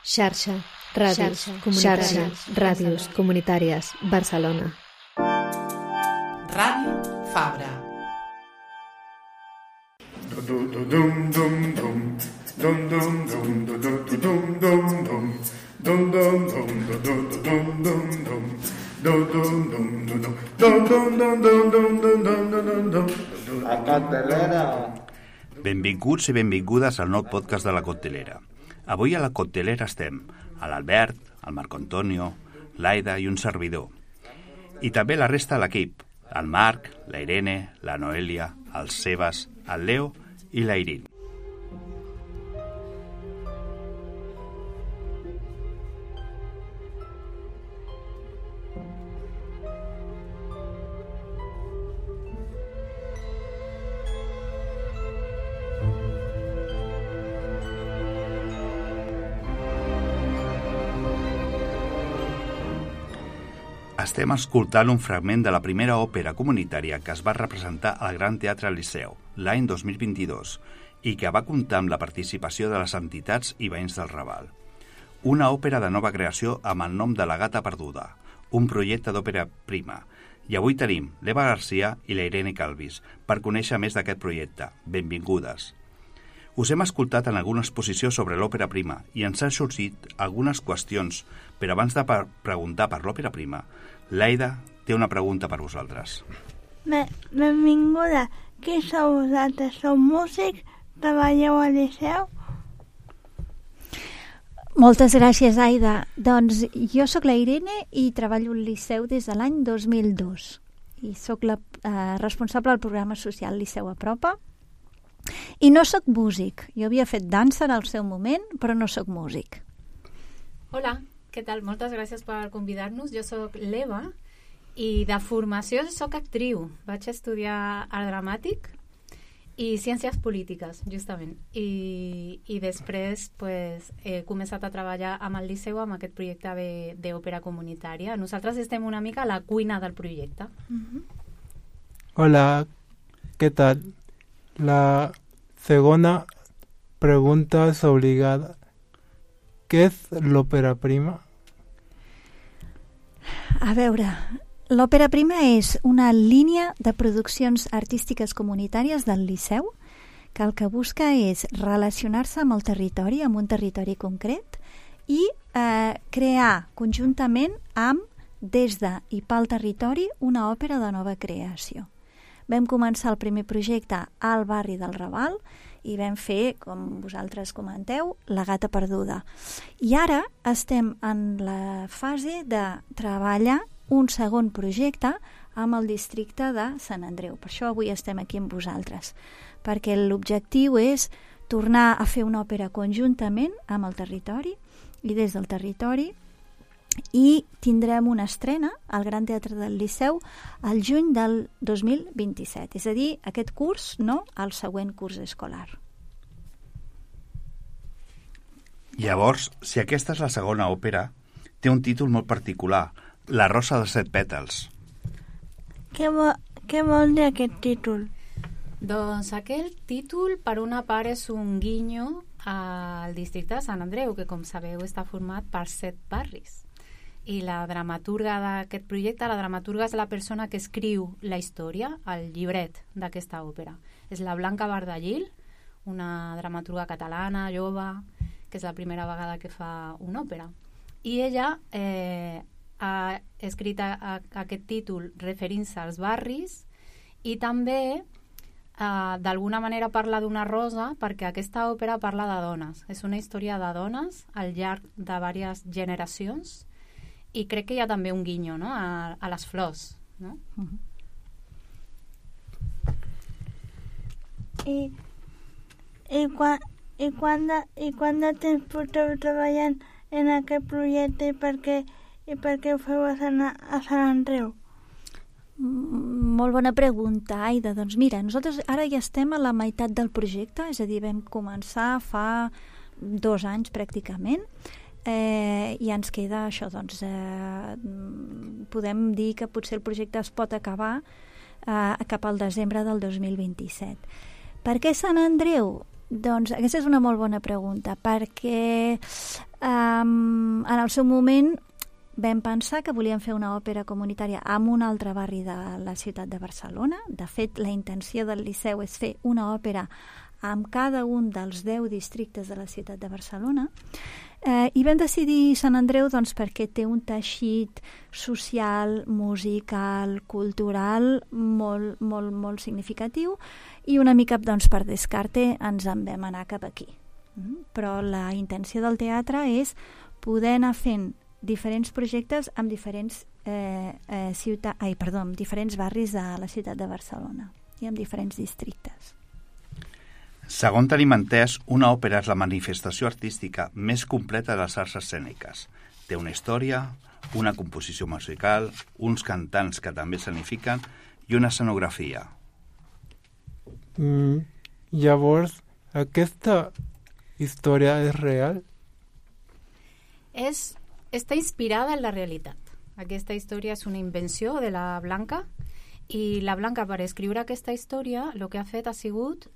Xarxa, ràdios comunitàries, Barcelona. Ràdio Fabra. La Coctelera. Benvinguts i benvingudes al nou podcast de la Coctelera. Avui a la Coctelera estem a l'Albert, el Marco Antonio, l'Aida i un servidor. I també la resta de l'equip, el Marc, la Irene, la Noelia, el Sebas, el Leo i la Irin. Estem escoltant un fragment de la primera òpera comunitària que es va representar al Gran Teatre Liceu l'any 2022 i que va comptar amb la participació de les entitats i veïns del Raval. Una òpera de nova creació amb el nom de La Gata Perduda, un projecte d'òpera prima. I avui tenim l'Eva Garcia i la Irene Calvis per conèixer més d'aquest projecte. Benvingudes. Us hem escoltat en alguna exposició sobre l'òpera prima i ens han sorgit algunes qüestions, però abans de preguntar per l'òpera prima, l'Aida té una pregunta per vosaltres. Benvinguda. Qui sou vosaltres? Sou músics? Treballeu al Liceu? Moltes gràcies, Aida. Doncs jo sóc la Irene i treballo al Liceu des de l'any 2002 i sóc la responsable del programa social Liceu Apropa. I no sóc músic. Jo havia fet dansa en el seu moment, però no sóc músic. Hola, què tal? Moltes gràcies per convidar-nos. Jo sóc l'Eva i de formació sóc actriu. Vaig estudiar art dramàtic i ciències polítiques, justament. I després pues, he començat a treballar amb el Liceu amb aquest projecte d'òpera comunitària. Nosaltres estem una mica a la cuina del projecte. Hola, ¿qué tal? La segunda pregunta es obligada. ¿Qué es l'òpera prima? A veure, l'òpera prima és una línia de produccions artístiques comunitàries del Liceu que el que busca és relacionar-se amb el territori, amb un territori concret i crear conjuntament amb, des de i pel territori, una òpera de nova creació. Vam començar el primer projecte al barri del Raval i vam fer, com vosaltres comenteu, La Gata Perduda. I ara estem en la fase de treballar un segon projecte amb el districte de Sant Andreu. Per això avui estem aquí amb vosaltres, perquè l'objectiu és tornar a fer una òpera conjuntament amb el territori i des del territori, i tindrem una estrena al Gran Teatre del Liceu al juny del 2027, és a dir, aquest curs, no el següent curs escolar. Llavors, si aquesta és la segona òpera, té un títol molt particular, La Rosa de 7 pètals. Què vol dir aquest títol? Doncs aquell títol, per una part, és un guinyo al districte de Sant Andreu, que, com sabeu, està format per 7 barris. I la dramaturga d'aquest projecte, la dramaturga és la persona que escriu la història, el llibret d'aquesta òpera. És la Blanca Bardallil, una dramaturga catalana, jove, que és la primera vegada que fa una òpera. I ella ha escrit aquest títol referint-se als barris i també d'alguna manera parla d'una rosa perquè aquesta òpera parla de dones. És una història de dones al llarg de diverses generacions i crec que hi ha també un guinyo, no? a les flors, no? I quant de temps porteu treballant en aquest projecte i per què ho feu a Sant Andreu? Molt bona pregunta, Aida. Doncs mira, nosaltres ara ja estem a la meitat del projecte, és a dir, vam començar fa 2 anys pràcticament, i ens queda això, doncs podem dir que potser el projecte es pot acabar cap al desembre del 2027. Per què Sant Andreu? Doncs aquesta és una molt bona pregunta, perquè En el seu moment vam pensar que volíem fer una òpera comunitària en un altre barri de la ciutat de Barcelona. De fet, la intenció del Liceu és fer una òpera amb cada un dels 10 districtes de la ciutat de Barcelona. I vam decidir Sant Andreu doncs, perquè té un teixit social, musical, cultural molt, molt, molt significatiu, i una mica doncs, per descarte ens en vam anar cap aquí. Però la intenció del teatre és poder anar fent diferents projectes amb diferents, diferents barris de la ciutat de Barcelona i amb diferents districtes. Segons tenim entès, una òpera és la manifestació artística més completa de les arts escèniques. Té una història, una composició musical, uns cantants que també escenifiquen i una escenografia. Llavors, aquesta història és real? Està inspirada en la realitat. Aquesta història és una invenció de la Blanca, i la Blanca, per escriure aquesta història, el que ha fet ha sigut,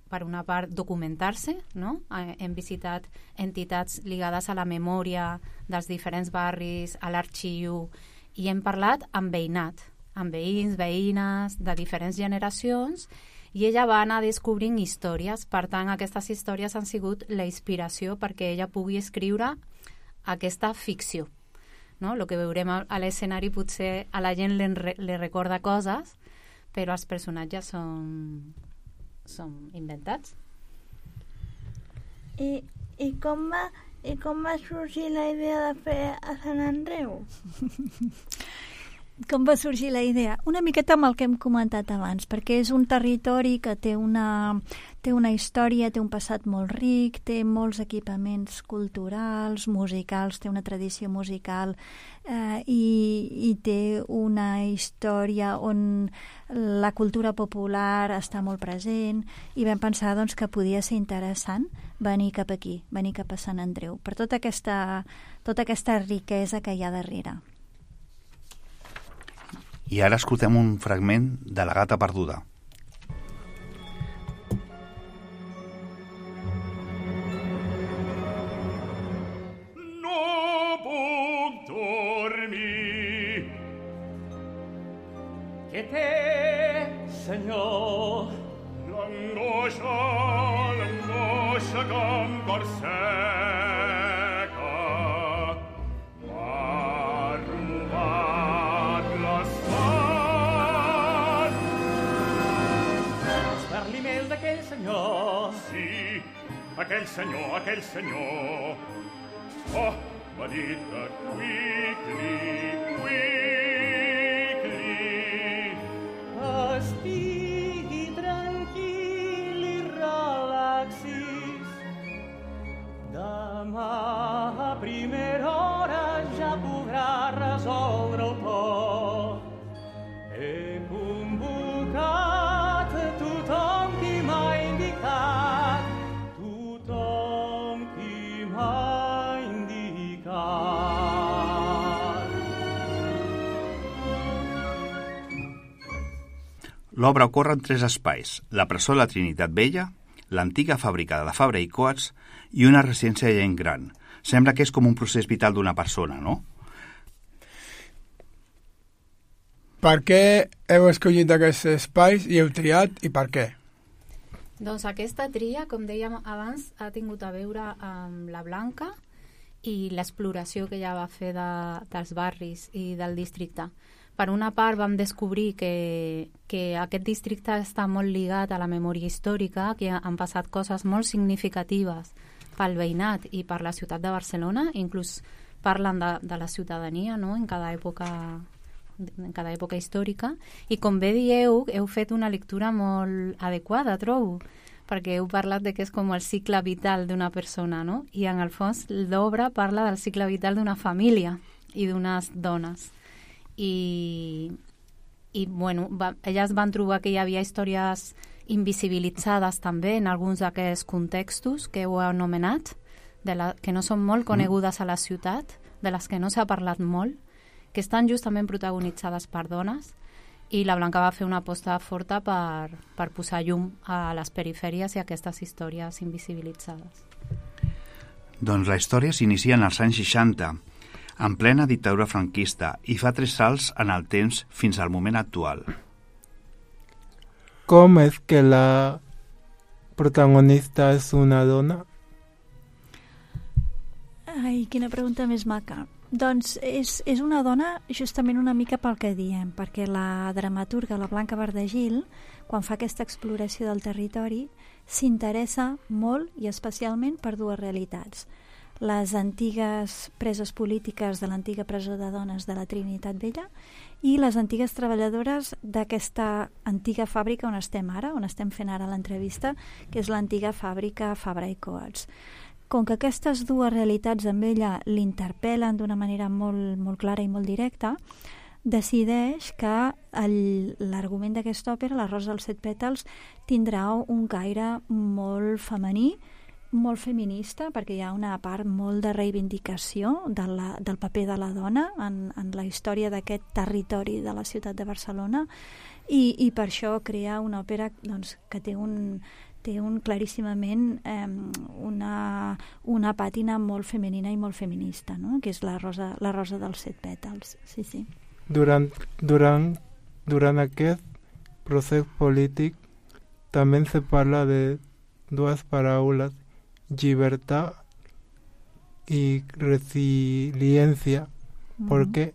per una part, documentar-se, no? Hem visitat entitats lligades a la memòria dels diferents barris, a l'arxiu, i hem parlat amb veïnat, amb veïns, veïnes, de diferents generacions, i ella va anar descobrint històries. Per tant, aquestes històries han sigut la inspiració perquè ella pugui escriure aquesta ficció. No? El que veurem a l'escenari potser a la gent li recorda coses, però els personatges són inventats. I com va sorgir la idea de fer a Sant Andreu? Com va sorgir la idea? Una miqueta amb el que hem comentat abans, perquè és un territori que té una història, té un passat molt ric, té molts equipaments culturals, musicals, té una tradició musical i té una història on la cultura popular està molt present, i vam pensar doncs, que podia ser interessant venir cap aquí, venir cap a Sant Andreu, per tota aquesta riquesa que hi ha darrere. I ara escoltem un fragment de La gata perduda. No puc dormir. Què té, senyor? L'angoixa que em perseca. Sí, aquell senyor. Oh, m'ha dit que quickly. Estigui tranquil i relaxis. Demà a primera hora ja podrà resoldre-ho tot. He convocat tothom qui m'ha indicat. L'obra ocorre en 3 espais: la presó de la Trinitat Vella, l'antiga fàbrica de la Fabra i Coats i una residència de gent gran. Sembla que és com un procés vital d'una persona, no? Per què heu escollit aquests espais i heu triat, i per què? Doncs aquesta tria, com dèiem abans, ha tingut a veure amb la Blanca i l'exploració que ella va fer dels barris i del districte. Per una part vam descobrir que aquest districte està molt lligat a la memòria històrica, que han passat coses molt significatives pel veïnat i per la ciutat de Barcelona, inclús parlen de la ciutadania, no? en cada època històrica, i com bé dieu, heu fet una lectura molt adequada, trobo, perquè heu parlat de que és com el cicle vital d'una persona, no? I en el fons l'obra parla del cicle vital d'una família i d'unes dones. I bueno, elles van trobar que hi havia històries invisibilitzades també en alguns d'aquests contextos que heu anomenat, que no són molt conegudes a la ciutat, de les que no s'ha parlat molt, que estan justament protagonitzades per dones, i la Blanca va fer una aposta forta per posar llum a les perifèries i a aquestes històries invisibilitzades. Doncs la història s'inicia en els anys 60, en plena dictadura franquista, i fa 3 salts en el temps fins al moment actual. Com és que la protagonista és una dona? Ai, quina pregunta més maca. Doncs és una dona justament una mica pel que diem, perquè la dramaturga, la Blanca Bardagil, quan fa aquesta exploració del territori, s'interessa molt i especialment per 2 realitats. Les antigues preses polítiques de l'antiga presó de dones de la Trinitat Vella i les antigues treballadores d'aquesta antiga fàbrica on estem ara, on estem fent ara l'entrevista, que és l'antiga fàbrica Fabra i Coats. Com que aquestes 2 realitats amb ella l'interpel·len d'una manera molt, molt clara i molt directa, decideix que l'argument d'aquesta òpera, La rosa dels 7 pètals, tindrà un caire molt femení, molt feminista, perquè hi ha una part molt de reivindicació del paper de la dona en la història d'aquest territori de la ciutat de Barcelona, i per això crea una òpera doncs, que té claríssimament una pàtina molt femenina i molt feminista, no? Que és la rosa dels 7 pètals. Sí, sí. Durant aquest procés polític també se parla de 2 paraules, llibertat i resiliència. Per què?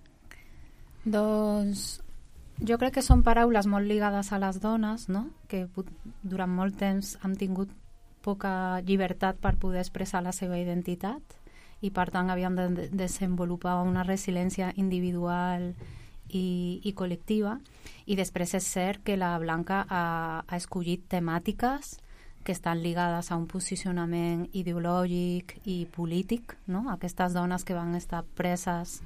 Doncs jo crec que són paraules molt lligades a les dones, no? Que durant molt temps han tingut poca llibertat per poder expressar la seva identitat i per tant havien de desenvolupar una resiliència individual i col·lectiva, i després és cert que la Blanca ha escollit temàtiques que estan lligades a un posicionament ideològic i polític, no? Aquestes dones que van estar preses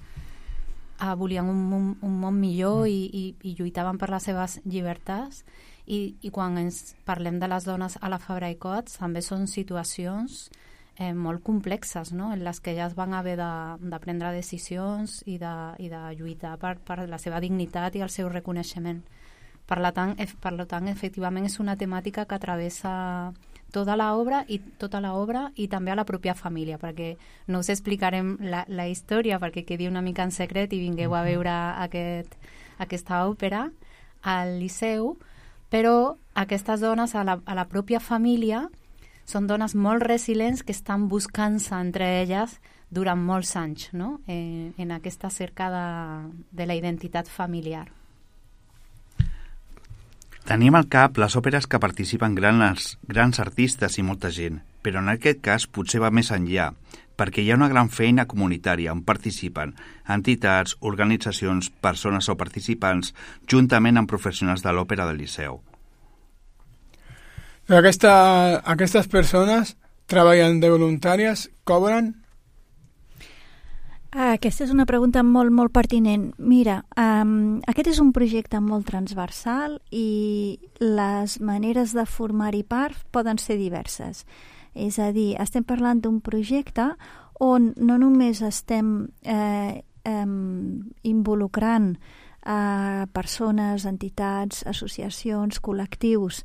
volien un món millor i lluitaven per les seves llibertats, i quan ens parlem de les dones a la Fabra i Coats també són situacions molt complexes, no? En les que elles van haver de prendre decisions i de lluitar per la seva dignitat i el seu reconeixement. Per tant, efectivament és una temàtica que travessa tota l'obra i també a la pròpia família, perquè no us explicarem la història perquè quedi una mica en secret i vingueu a veure aquesta òpera al Liceu, però aquestes dones a la pròpia família són dones molt resilients que estan buscant-se entre elles durant molts anys, no? En aquesta cerca de la identitat familiar. Tenim al cap les òperes que participen grans artistes i molta gent, però en aquest cas potser va més enllà, perquè hi ha una gran feina comunitària on participen entitats, organitzacions, persones o participants, juntament amb professionals de l'òpera del Liceu. Aquestes persones treballen de voluntàries, cobren? Aquesta és una pregunta molt, molt pertinent. Mira, aquest és un projecte molt transversal i les maneres de formar-hi part poden ser diverses. És a dir, estem parlant d'un projecte on no només estem involucrant persones, entitats, associacions, col·lectius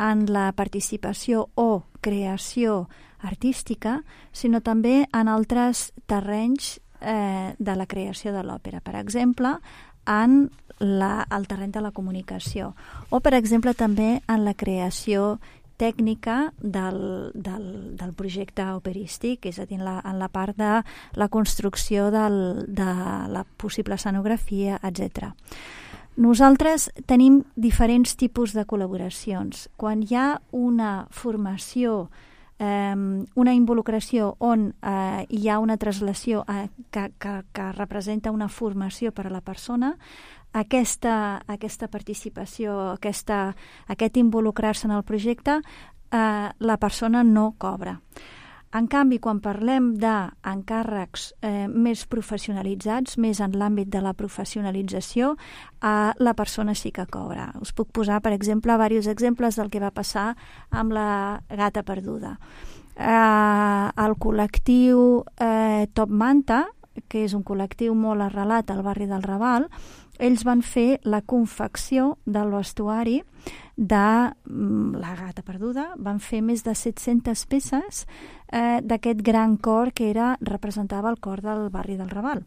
en la participació o creació artística, sinó també en altres terrenys de la creació de l'òpera. Per exemple, en el terreny de la comunicació o, per exemple, també en la creació tècnica del projecte operístic, és a dir, en la part de la construcció de la possible escenografia, etc. Nosaltres tenim diferents tipus de col·laboracions. Quan hi ha una formació, una involucració on hi ha una translació que representa una formació per a la persona, aquesta participació, aquest involucrar-se en el projecte, la persona no cobra. En canvi, quan parlem d'encàrrecs més professionalitzats, més en l'àmbit de la professionalització, la persona sí que cobra. Us puc posar, per exemple, diversos exemples del que va passar amb la Gata perduda. El col·lectiu Top Manta que és un col·lectiu molt arrelat al barri del Raval, ells van fer la confecció del vestuari de La gata perduda, van fer més de 700 peces d'aquest gran cor que representava el cor del barri del Raval.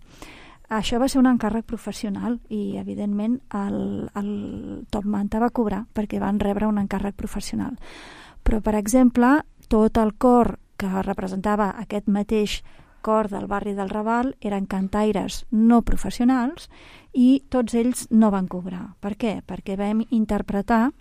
Això va ser un encàrrec professional i, evidentment, el Top Manta va cobrar perquè van rebre un encàrrec professional. Però, per exemple, tot el cor que representava aquest mateix cor del barri del Raval eren cantaires no professionals i tots ells no van cobrar. Per què? Perquè vam interpretar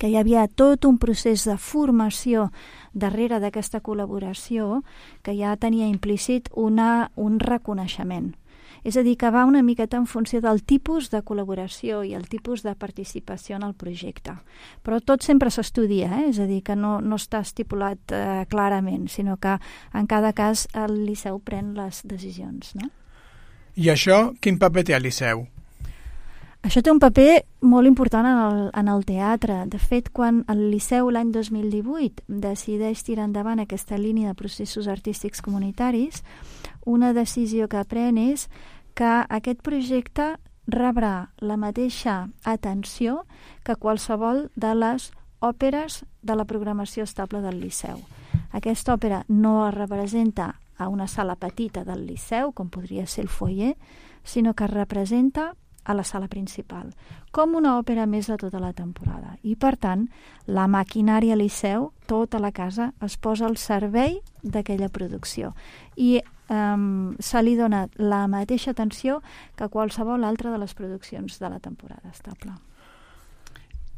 que hi havia tot un procés de formació darrere d'aquesta col·laboració que ja tenia implícit un reconeixement. És a dir, que va una miqueta en funció del tipus de col·laboració i el tipus de participació en el projecte. Però tot sempre s'estudia, és a dir, que no està estipulat clarament, sinó que en cada cas el Liceu pren les decisions. No? I això, quin paper té el Liceu? Això té un paper molt important en el teatre. De fet, quan el Liceu l'any 2018 decideix tirar endavant aquesta línia de processos artístics comunitaris, una decisió que pren és que aquest projecte rebrà la mateixa atenció que qualsevol de les òperes de la programació estable del Liceu. Aquesta òpera no es representa a una sala petita del Liceu, com podria ser el foyer, sinó que es representa a la sala principal, com una òpera més de tota la temporada. I, per tant, la maquinària Liceu, tota la casa, es posa al servei d'aquella producció. I se li dona la mateixa atenció que qualsevol altra de les produccions de la temporada estable.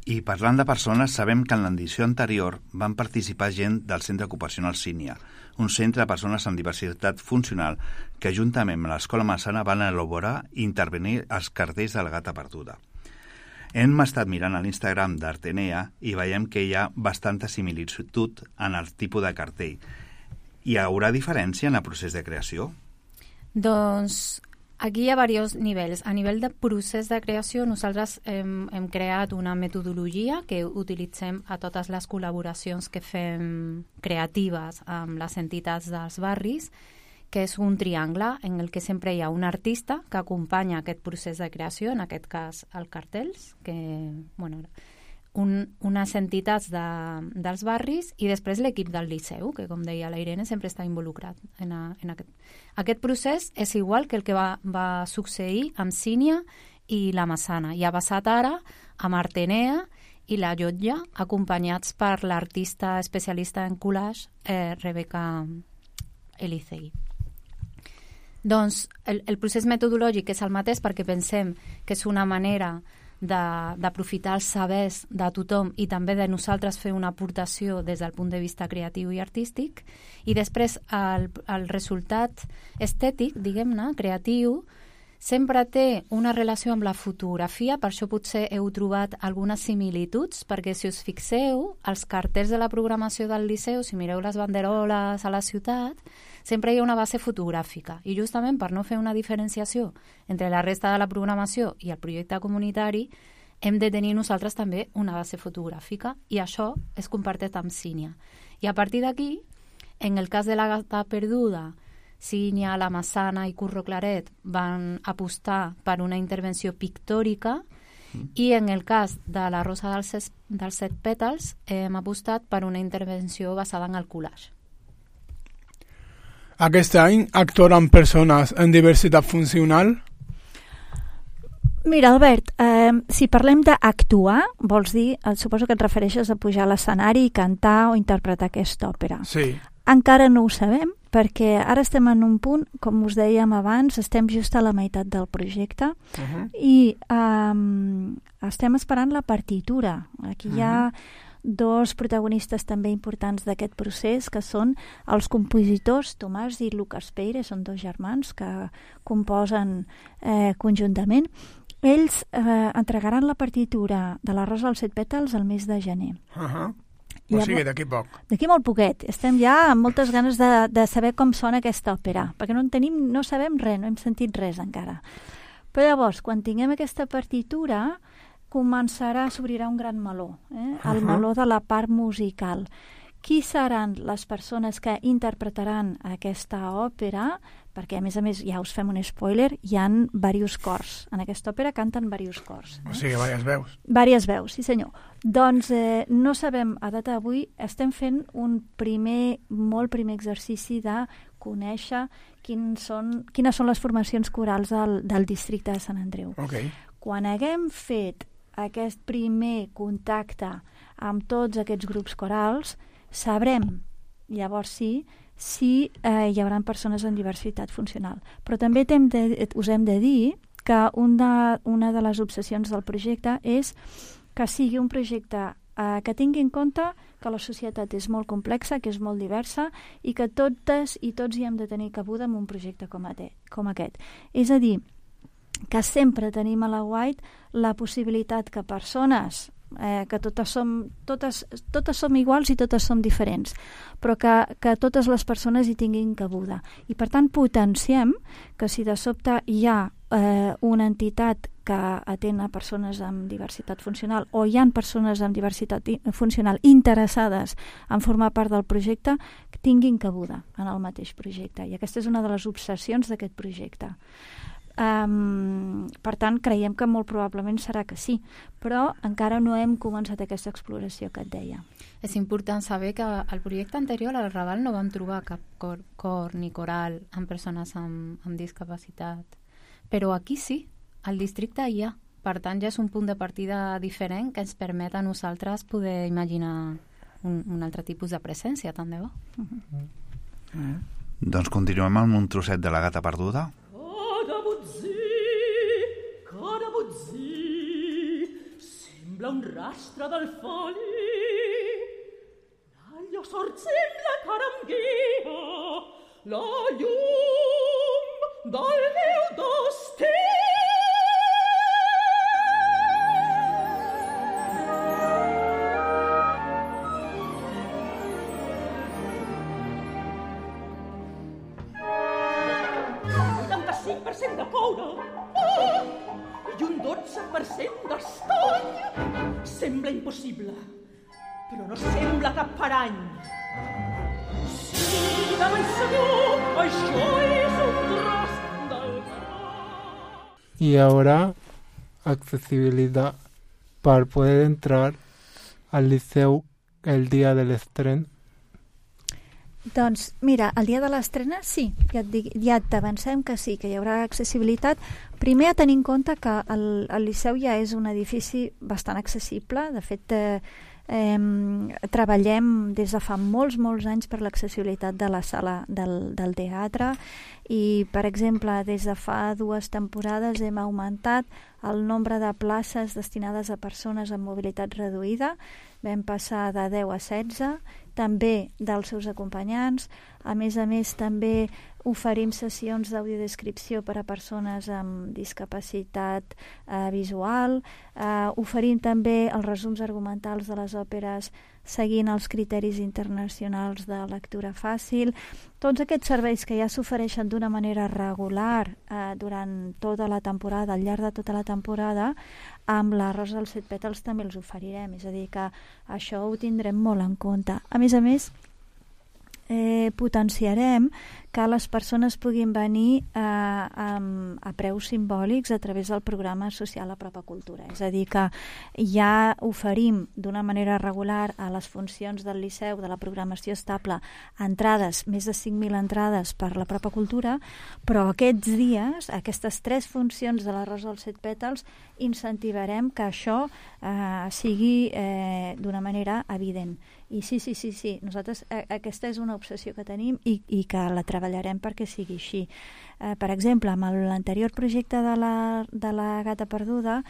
I parlant de persones, sabem que en l'edició anterior van participar gent del Centre Ocupacional Sínia, un centre de persones amb diversitat funcional que juntament amb l'Escola Massana van elaborar i intervenir els cartells de la gata perduda. Hem estat mirant a l'Instagram d'Artenea i veiem que hi ha bastanta similitud en el tipus de cartell. Hi haurà diferència en el procés de creació? Doncs aquí hi ha diversos nivells. A nivell de procés de creació, nosaltres hem creat una metodologia que utilitzem a totes les col·laboracions que fem creatives amb les entitats dels barris, que és un triangle en el que sempre hi ha un artista que acompanya aquest procés de creació, en aquest cas els cartells, que, unes entitats dels barris i després l'equip del Liceu, que com deia la Irene sempre està involucrat en aquest. Aquest procés és igual que el que va succeir amb Sínia i la Massana i ha passat ara amb Artenea i la Llotja, acompanyats per l'artista especialista en collage Rebeca Elicegui. Doncs el procés metodològic és el mateix perquè pensem que és una manera d'aprofitar els sabers de tothom i també de nosaltres fer una aportació des del punt de vista creatiu i artístic, i després el resultat estètic, diguem-ne, creatiu, sempre té una relació amb la fotografia, per això potser heu trobat algunes similituds, perquè si us fixeu, els cartells de la programació del Liceu, si mireu les banderoles a la ciutat, sempre hi ha una base fotogràfica, i justament per no fer una diferenciació entre la resta de la programació i el projecte comunitari, hem de tenir nosaltres també una base fotogràfica, i això es comparteix amb Sínia. I a partir d'aquí, en el cas de la gata perduda, Sínia, la Massana i Curro Claret van apostar per una intervenció pictòrica i en el cas de la Rosa dels set pètals hem apostat per una intervenció basada en el collage. Aquest any actuaran persones en diversitat funcional? Mira, Albert, si parlem d'actuar, vols dir, suposo que et refereixes a pujar a l'escenari i cantar o interpretar aquesta òpera. Sí. Encara no ho sabem, perquè ara estem en un punt, com us dèiem abans, estem just a la meitat del projecte i estem esperant la partitura. Aquí hi ha dos protagonistes també importants d'aquest procés, que són els compositors Tomàs i Lucas Peire, són dos germans que composen conjuntament. Ells entregaran la partitura de la Rosa dels set pètals al mes de gener. O sigui, d'aquí poc. D'aquí molt poquet. Estem ja amb moltes ganes de saber com sona aquesta òpera, perquè no sabem res, no hem sentit res encara. Però llavors, quan tinguem aquesta partitura, s'obrirà un gran meló, el meló de la part musical, qui seran les persones que interpretaran aquesta òpera, perquè a més, ja us fem un spoiler, hi ha diversos cors. En aquesta òpera canten diversos cors. O sigui, diverses veus. Diverses veus, sí senyor. Doncs no sabem, a data d'avui, estem fent un molt primer exercici de conèixer quines són les formacions corals del districte de Sant Andreu. Okay. Quan haguem fet aquest primer contacte amb tots aquests grups corals, sabrem, llavors sí, si hi haurà persones amb diversitat funcional. Però també us hem de dir que una de les obsessions del projecte és que sigui un projecte que tingui en compte que la societat és molt complexa, que és molt diversa i que totes i tots hi hem de tenir cabuda en un projecte com aquest. És a dir, que sempre tenim a la White la possibilitat que persones que totes som iguals i totes som diferents, però que totes les persones hi tinguin cabuda. I per tant potenciem que si de sobte hi ha una entitat que atén a persones amb diversitat funcional o hi ha persones amb diversitat funcional interessades en formar part del projecte, que tinguin cabuda en el mateix projecte. I aquesta és una de les obsessions d'aquest projecte. Per tant, creiem que molt probablement serà que sí, però encara no hem començat aquesta exploració que et deia. És important saber que al projecte anterior al Raval no vam trobar cap cor ni coral amb persones amb discapacitat, però aquí sí, al districte hi ha. Per tant, ja és un punt de partida diferent que ens permet a nosaltres poder imaginar un altre tipus de presència, tant de bo. Doncs continuem amb un trosset de La gata perduda. Sembla un rastre del foli, l'aglio sorgem la caranghia, la llum del meu destí. De coure i un 12% d'estany. Sembla impossible, però no sembla cap parany. Sí, de ben segur, això és un tros del mar. Y ahora, accesibilidad para poder entrar al liceu el día del estreno. Doncs mira, el dia de l'estrena sí, ja t'avancem que sí, que hi haurà accessibilitat. Primer a tenir en compte que el Liceu ja és un edifici bastant accessible. De fet, treballem des de fa molts anys per l'accessibilitat de la sala del teatre i, per exemple, des de fa 2 temporades hem augmentat el nombre de places destinades a persones amb mobilitat reduïda. Vam passar de 10 a 16, també dels seus acompanyants. A més, també oferim sessions d'audiodescripció per a persones amb discapacitat visual. Oferim també els resums argumentals de les òperes seguint els criteris internacionals de lectura fàcil. Tots aquests serveis que ja s'ofereixen d'una manera regular durant tota la temporada, al llarg de tota la temporada, amb la Rosa dels 7 pètals també els oferirem. És a dir, que això ho tindrem molt en compte. A més, potenciarem que les persones puguin venir a preus simbòlics a través del programa social a Propa Cultura. És a dir, que ja oferim d'una manera regular a les funcions del Liceu, de la programació estable, entrades, més de 5.000 entrades per la Propa Cultura, però aquests dies, aquestes 3 funcions de la Rosa dels 7 pètals, incentivarem que això sigui d'una manera evident. I sí, nosaltres aquesta és una obsessió que tenim i que la treballarem perquè sigui així. Per exemple, amb l'anterior projecte de la gata perduda,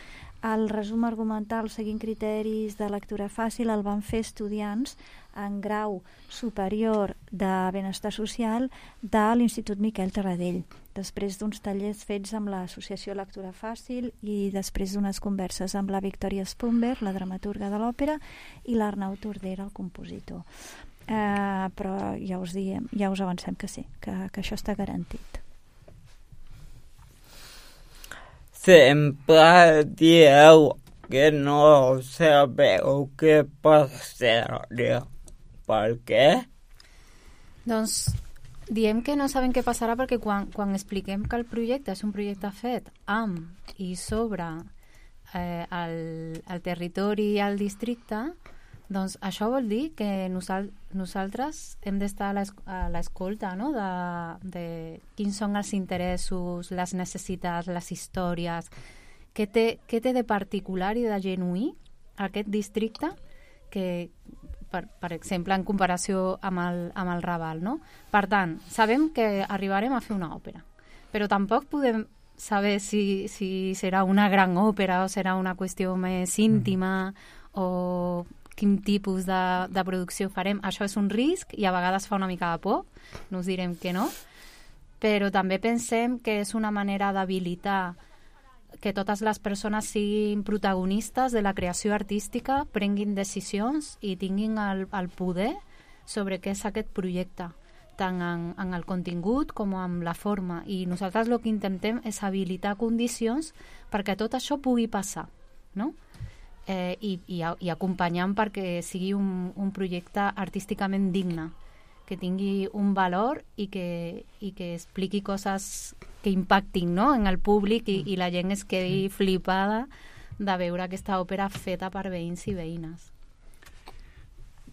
el resum argumental seguint criteris de lectura fàcil el van fer estudiants en grau superior de benestar social de l'Institut Miquel Tarradell, després d'uns tallers fets amb l'Associació Lectura Fàcil i després d'unes converses amb la Victòria Spumber, la dramaturga de l'òpera, i l'Arnau Tordera, el compositor. Però ja us avancem que sí, que això està garantit. Sempre dieu que no sabeu què passaria per què? Doncs diem que no sabem què passarà perquè quan expliquem que el projecte és un projecte fet amb i sobre el territori i el districte, doncs això vol dir que nosaltres hem d'estar a l'escolta, no? de quins són els interessos, les necessitats, les històries, què té de particular i de genuí aquest districte que, per exemple, en comparació amb el Raval, no? Per tant, sabem que arribarem a fer una òpera, però tampoc podem saber si serà una gran òpera o serà una qüestió més íntima o quin tipus de producció farem. Això és un risc i a vegades fa una mica de por, no us direm que no, però també pensem que és una manera d'habilitar que totes les persones siguin protagonistes de la creació artística, prenguin decisions i tinguin el poder sobre què és aquest projecte, tant en el contingut com en la forma. I nosaltres el que intentem és habilitar condicions perquè tot això pugui passar, no? I acompanyant perquè sigui un projecte artísticament digne, que tingui un valor i que expliqui coses que impactin, no? En el públic i la gent es quedi flipada de veure aquesta òpera feta per veïns i veïnes.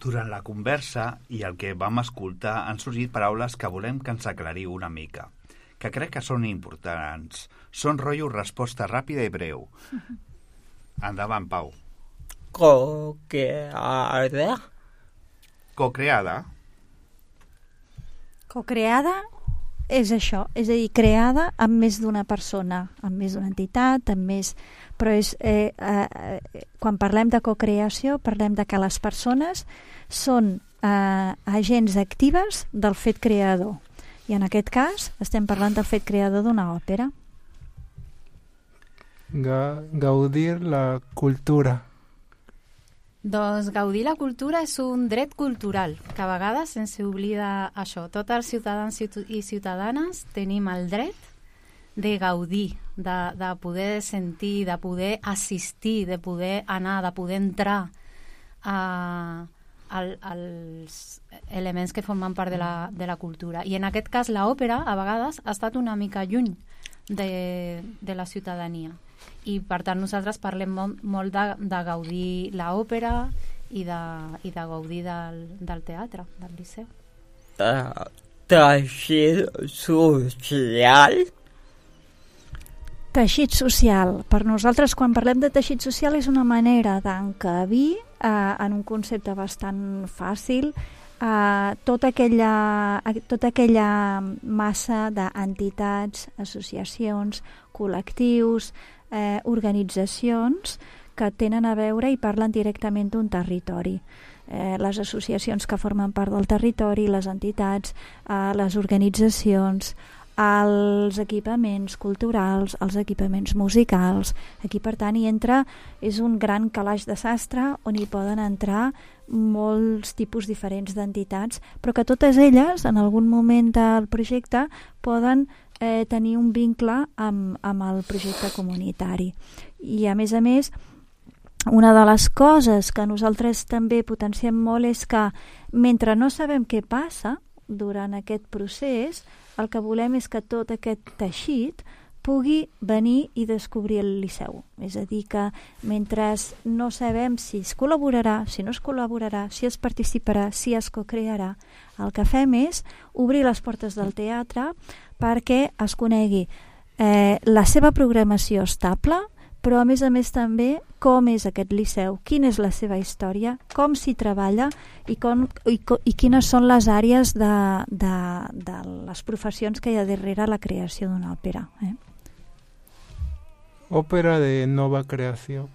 Durant la conversa i el que vam escoltar han sorgit paraules que volem que ens aclariu una mica, que crec que són importants. Són rotllo resposta ràpida i breu. Endavant, Pau. Co-creada? Co-creada? Co-creada és això, és a dir, creada amb més d'una persona, amb més d'una entitat, amb més... Però quan parlem de co-creació, parlem de que les persones són agents actives del fet creador. I en aquest cas estem parlant del fet creador d'una òpera. Gaudir la cultura. Doncs gaudir la cultura és un dret cultural, que a vegades ens oblida això. Tots els ciutadans i ciutadanes tenim el dret de gaudir, de poder sentir, de poder assistir, de poder anar, de poder entrar als elements que formen part de la cultura. I en aquest cas l'òpera a vegades ha estat una mica lluny de la ciutadania. I per tant nosaltres parlem molt de gaudir l'òpera i de gaudir del teatre, del Liceu. Teixit social? Teixit social. Per nosaltres, quan parlem de teixit social, és una manera d'encabir en un concepte bastant fàcil tota aquella massa d'entitats, associacions, col·lectius, organitzacions que tenen a veure i parlen directament d'un territori. Les associacions que formen part del territori, les entitats, les organitzacions, els equipaments culturals, els equipaments musicals. Aquí, per tant, és un gran calaix de sastre on hi poden entrar molts tipus diferents d'entitats, però que totes elles, en algun moment del projecte, poden tenir un vincle amb el projecte comunitari. I, a més, una de les coses que nosaltres també potenciem molt és que, mentre no sabem què passa durant aquest procés, el que volem és que tot aquest teixit pugui venir i descobrir el Liceu. És a dir, que mentre no sabem si es col·laborarà, si no es col·laborarà, si es participarà, si es cocrearà, el que fem és obrir les portes del teatre perquè es conegui la seva programació estable, però a més també com és aquest Liceu, quina és la seva història, com s'hi treballa i quines són les àrees de les professions que hi ha darrere la creació d'una òpera. Òpera de nova creació.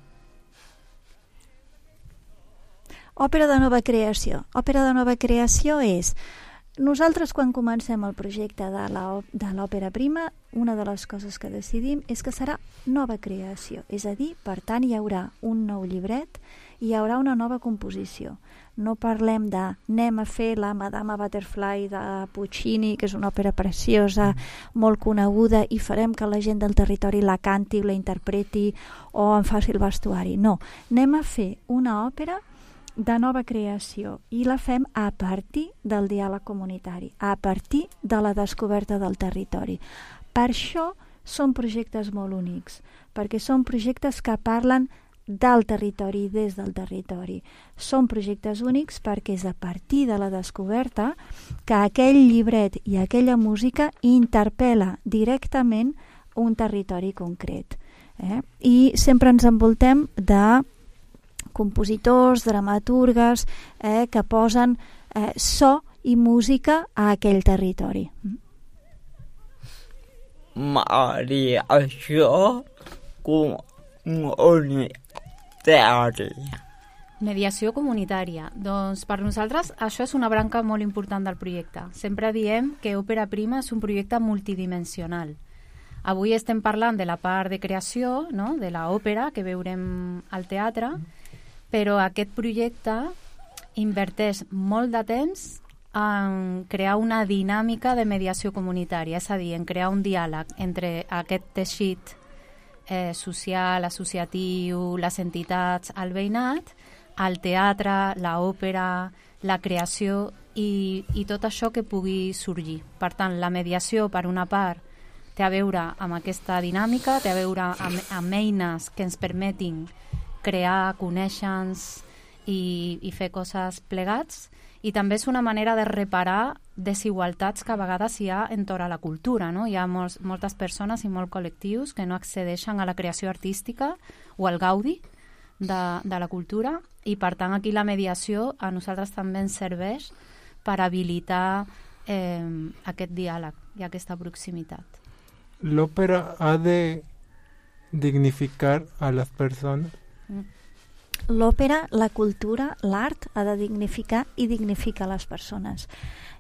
Òpera de nova creació. Òpera de nova creació és... Nosaltres, quan comencem el projecte de l'òpera prima, una de les coses que decidim és que serà nova creació. És a dir, per tant, hi haurà un nou llibret, hi haurà una nova composició. No parlem de anem a fer la Madama Butterfly de Puccini, que és una òpera preciosa, molt coneguda, i farem que la gent del territori la canti, la interpreti o en faci el vestuari. No, anem a fer una òpera de nova creació i la fem a partir del diàleg comunitari, a partir de la descoberta del territori. Per això són projectes molt únics, perquè són projectes que parlen del territori i des del territori. Són projectes únics perquè és a partir de la descoberta que aquell llibret i aquella música interpel·la directament un territori concret. I sempre ens envoltem de compositors, dramaturgues que posen so i música a aquell territori. Maria, això comunitària. Mediació comunitària. Doncs per nosaltres això és una branca molt important del projecte. Sempre diem que Òpera Prima és un projecte multidimensional. Avui estem parlant de la part de creació, no?, de l'òpera que veurem al teatre, però aquest projecte inverteix molt de temps en crear una dinàmica de mediació comunitària, és a dir, en crear un diàleg entre aquest teixit social, associatiu, les entitats, el veïnat, el teatre, l'òpera, la creació i tot això que pugui sorgir. Per tant, la mediació, per una part, té a veure amb aquesta dinàmica, té a veure amb eines que ens permetin crear, conèixer-nos i fer coses plegats, i també és una manera de reparar desigualtats que a vegades hi ha entorn a la cultura, no? Hi ha moltes persones i molts col·lectius que no accedeixen a la creació artística o al gaudi de la cultura, i per tant aquí la mediació a nosaltres també ens serveix per habilitar aquest diàleg i aquesta proximitat. L'òpera ha de dignificar a les persones. L'òpera, la cultura, l'art ha de dignificar i dignifica les persones.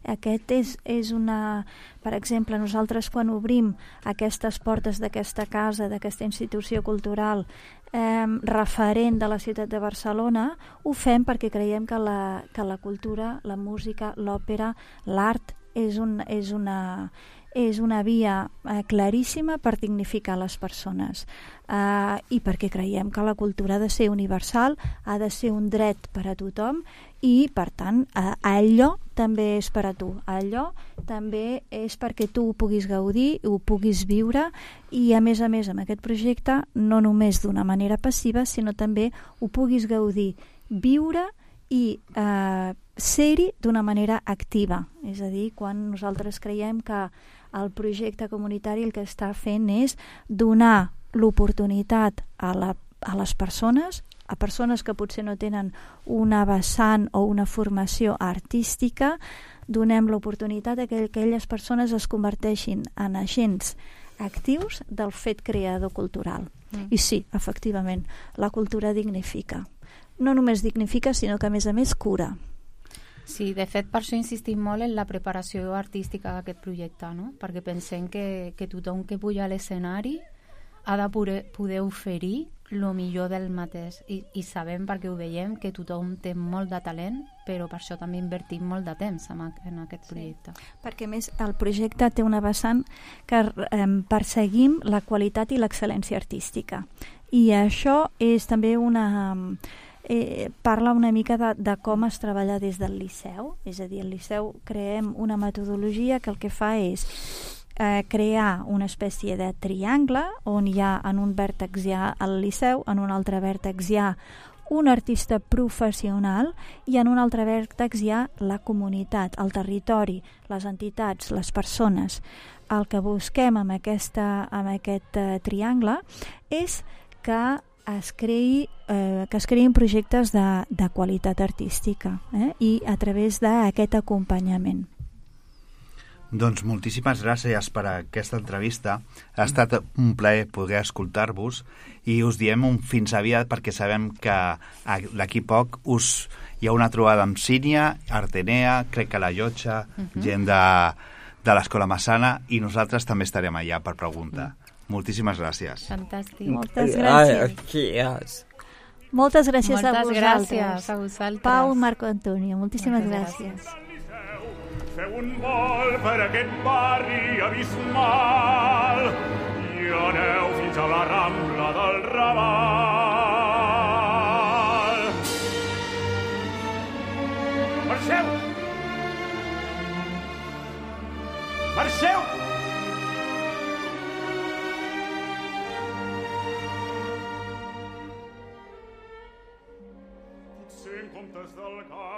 Aquest és una... Per exemple, nosaltres quan obrim aquestes portes d'aquesta casa, d'aquesta institució cultural referent de la ciutat de Barcelona, ho fem perquè creiem que la cultura, la música, l'òpera, l'art és una via claríssima per dignificar les persones i perquè creiem que la cultura ha de ser universal, ha de ser un dret per a tothom i, per tant, allò també és per a tu. Allò també és perquè tu ho puguis gaudir, ho puguis viure i, a més, amb aquest projecte, no només d'una manera passiva, sinó també ho puguis gaudir, viure i ser-hi d'una manera activa. És a dir, quan nosaltres creiem que el projecte comunitari el que està fent és donar l'oportunitat a les persones, a persones que potser no tenen una vessant o una formació artística, donem l'oportunitat que aquelles persones es converteixin en agents actius del fet creador cultural. I sí, efectivament, la cultura dignifica. No només dignifica, sinó que a més cura. Sí, de fet, per això insistim molt en la preparació artística d'aquest projecte, no? Perquè pensem que tothom que puja a l'escenari ha de poder oferir el millor del mateix. I sabem, perquè ho veiem, que tothom té molt de talent, però per això també invertim molt de temps en aquest projecte. Sí, perquè més el projecte té una vessant que perseguim la qualitat i l'excel·lència artística. I això és també parla una mica de com es treballa des del Liceu, és a dir, al Liceu creem una metodologia que el que fa és crear una espècie de triangle on hi ha en un vèrtex hi ha el Liceu, en un altre vèrtex hi ha un artista professional i en un altre vèrtex hi ha la comunitat, el territori, les entitats, les persones. El que busquem amb aquest triangle és que es creïn projectes de qualitat artística i a través d'aquest acompanyament. Doncs moltíssimes gràcies per aquesta entrevista. Ha estat un plaer poder escoltar-vos i us diem un fins aviat perquè sabem que d'aquí poc hi ha una trobada amb Sínia, Artenea, crec que la Llotja, gent de l'Escola Massana, i nosaltres també estarem allà per preguntar. Moltíssimes gràcies. Fantàstic. Moltes gràcies. Moltes gràcies a vosaltres. Gràcies a vosaltres. Pau, Marco Antonio, moltíssimes gràcies. Feu un vol per aquest barri abismal i aneu fins a la Rambla del Raval. Marxeu! Potser en comptes del gat